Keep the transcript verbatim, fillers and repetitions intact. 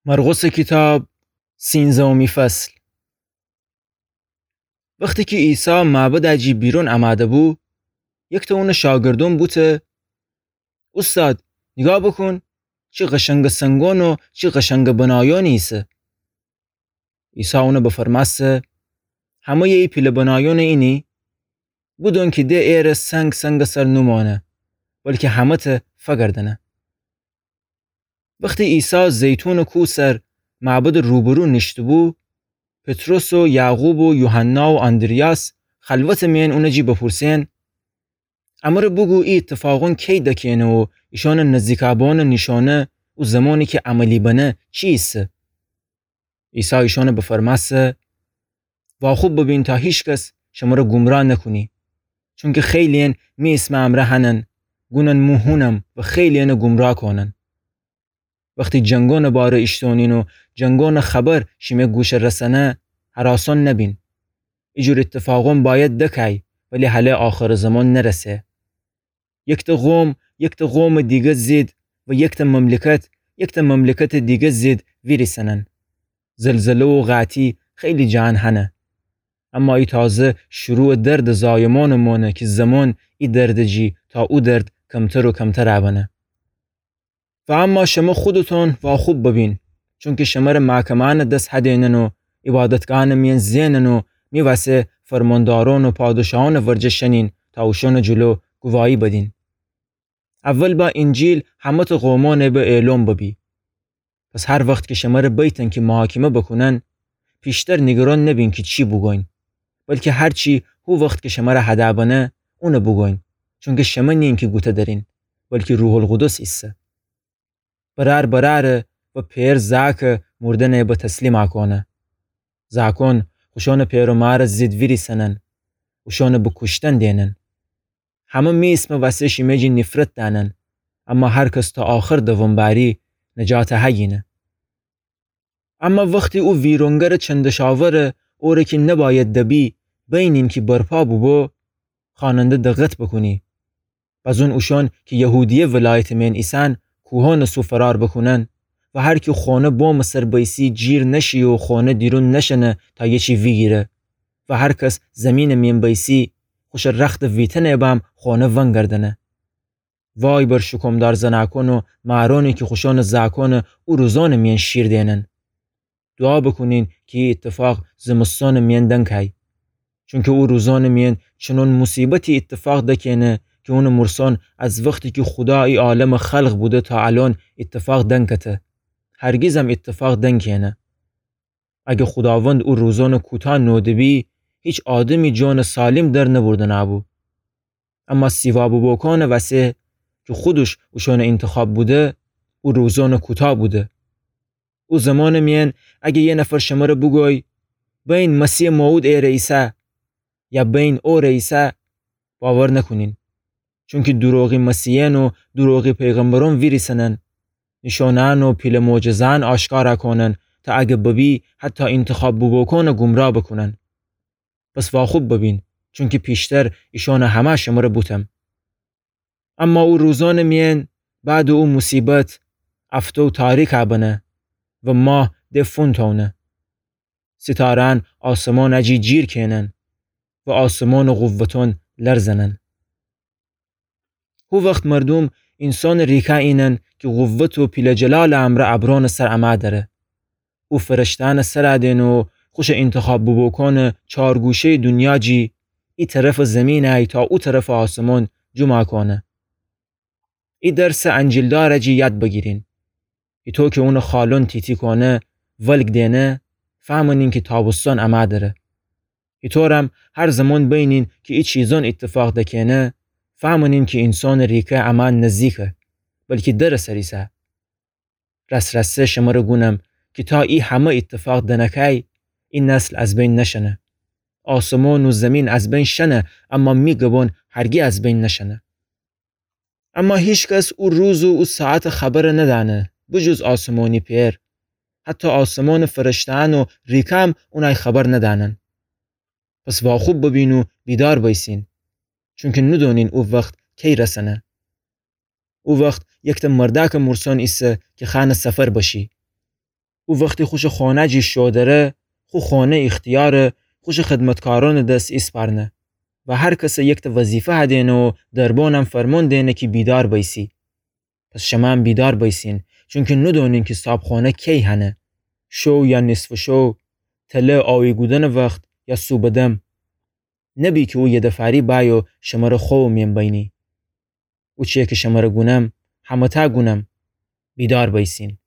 مرقسٚ کیتاب، سینزهمی فصل. وختی کی عیسی معبدٚ جی بیرون امه‌ده‌بو، یکتأ اونٚ شاگردأن بوته: اوستاد، نیگاه بوکون، چی قشنگٚ سنگأن و چی قشنگٚ بنایأنی ایسه. عیسی اونَ بفرمأسته: همه‌یٚ ای پیله بنایأنَ اینی؟ بودون کی ده ایره سنگ سنگٚ سر نومأنه، بلکی همه‌تأ فگردأنه. وختی عیسی زیتونٚ کوه سر معبدٚ روبرو نیشته‌بو، پطرس و یعقوب و یوحنا و آندریاس خلوتٚ میأن اونٚ جی بپورسئن: امره بوگو ای ایتفاقأن کی دکه‌نه و ایشأنٚ نزدیکابأنٚ نیشأنه و زمانی کی عملی بنه چی ایسه؟ عیسی ایشأنَ بفرمأسته: واخوب ببین تا هیکس شمره گمراه نکونی، چونکی خیلی‌یأن می ایسمٚ امرأ هنن، گونن مو هونم و خیلی‌یأنَ گمراه کونن. وختی جنگأنٚ باره ایشتونین و جنگأنٚ خبر شیمه گوشه رسأنه، هراسأن نبین. ایجور ایتفاقأن بأید دکای، ولی هله آخرٚ زمان نرسه. یکتأ قوم یکتأ قومٚ دیگه ضد و یکتأ مملکت یکتأ مملکتٚ دیگه ضد ویریسنن. زلزله و قحطی خیلی جهان هنه. اما ای تازه شروعٚ دردٚ زایمأنٚ مانه کی زمان ای دردٚ جی تا او درد کمتر و کمتر بنه. و اما شمه خودتون واخوب ببین، چونکی شمره محکمه‌یأنٚ دس هدینن و عبادتگاهأنٚ میأن زئنن و می وسه فرماندارأن و پادشاهأنٚ ورجه شنین تا اوشأنٚ جلو گواهی بدین. اول با اینجیل همه‌تأ قومأن به اعلام ببی. پس هر وخت کی شمره بیتن کی محاکمه بکونن، پیشتر نیگران نبین کی چی بوگوین، بلکی هر چی هو وخت کی شمره هده بنه، اونَ بوگوین، چونکی شمه نیین کی گوته درین، بلکی روح‌القدس ایسه. برأر برأره و پئر زأکه مردنَ به تسلیم کونه. زأکأن خوشأنٚ پئر و مارٚ ضد ویریسنن، اوشأنَ به کوشتن دینن. همه می ایسمٚ وسه شیمه جی نیفرت دأنن، اما هر کس تا آخر دوام بأری نجات هگینه. اما وختی او ویرانگرٚ چندشاوره، اوره کی نبأید دبی، بینین کی برپا بوبو، خوأننده دقت بکونی. بزون اوشأن کی یهودیه ولایتٚ میأن ایسن کوهأنٚ سو فرار بکونن و هر کی خانه بامٚ سر بیسی جیر نشی و خانه دیرون نشنه تا یه چی ویگیره و هر کس زیمینٚ میأن بیسی خوشٚ رختٚ ویتنه بم خانه ونگردنه. وای بر شوکومدار زنأکأن و مارأنی کی خوشأنٚ زأکأنَ او روزأنٚ میأن شیر دینن. دوعا بکونین کی ای ایتفاق زمستانٚ میأن دنکای. چونکی او روزأنٚ میأن چنون موصیبتی ایتفاق دکه‌نه کی اونٚ مورسأن از وختی کی خودا ای عالمَ خلق بوده تا الأن ایتفاق دنکته. هرگیزم ایتفاق دنکه‌نه. اگه خوداوند او روزأنَ کوتاه نوده‌بی، هیچ آدمی جانٚ سالم در نبردنه‌بو. اما سیوا بوبوکأنٚ وسه کی خودش اوشأنٚ اینتخاب بوده، او روزأنَ کوتاه بوده. او زمانٚ میأن اگه یه نفر شمره بوگوی: بین مسیحٚ موعود ایره ایسه، یا بین اوره ایسه، باور نکونین. چونکی دوروغی مسیحیأن و دوروغی پیغمبرأن ویریسنن، نیشأنه‌یأن و پیله معجزه‌یأن آشکارا کونن تا اگه ببی حتی اینتخاب بوبوکأنَ گمراه بکونن. پس واخوب ببین، چونکی پیشتر ایشأنَ همه شمره بوتم. اما او روزأنٚ میأن، بعدٚ او موصیبت، افتو تاریکَ بنه و ماه ده فونتأونه. ستاره‌یأن آسمانٚ جی جیر کئنن و آسمانٚ قوتأن لرزنن. هو وخت مردوم اینسانٚ ریکه اینن کی قوت و پیله جلالٚ امرأ ابرأنٚ سر امه دره. او فرشته‌یأنٚ سر دئنه و خوشٚ اینتخاب بوبوکأنٚ چار گوشه‌یٚ دونیا جی، ای طرفٚ زیمین ای تا او طرفٚ آسمان جمع کونه. ای درسٚ انجیلدارٚ جی یاد بگیرین. ایتو کی اونٚ خالون تی‌تی کونه، ولگ دئنه، فهمنین کی تابستان امه دره. ایتورم هر زمان بینین کی ای چیزان ایتفاق دکئنه، فهمنین کی اینسانٚ ریکه امه نزدیکه، بلکی درٚ سر ایسه. راس‌راسی شمره گونم کی تا ای همه ایتفاق دنکای، ای نسل از بین نشنه. آسمان و زیمین از بین شنه، اما می گبان هرگی از بین نشنه. اما هیکس او روز و او ساعتٚ خبر ندأنه، بجز آسمانی پئر. حتی آسمانٚ فرشته‌یأن و ریکم اونای خبر ندأنن. پس واخوب ببین و بیدار بیسین، چونکی ندونین او وخت کی رسنه. او وخت یکته مردأکٚ مورسان ایسه کی خوأنه سفر بشی. او وختی خوشٚ خانه جی شو دره، خو خانه ایختیارَ خوشٚ خدمتکارأنٚ دس ایسپارنه و هر کسَ یکتأ وظیفه هدینه و دربانم فرمان دینه کی بیدار بیسی. پس شمه‌ام بیدار بیسین، چونکی ندانین کی صابخانه کی هنه، شو یا نصفٚ شو، تله آوی کودنٚ وخت یا صوبٚ دم. نبی کی او یدفعری بأیه و شمره خوأبٚ مین بینه. او چیی کی شمره گونم، همه‌تأ گونم، بیدار بیسین.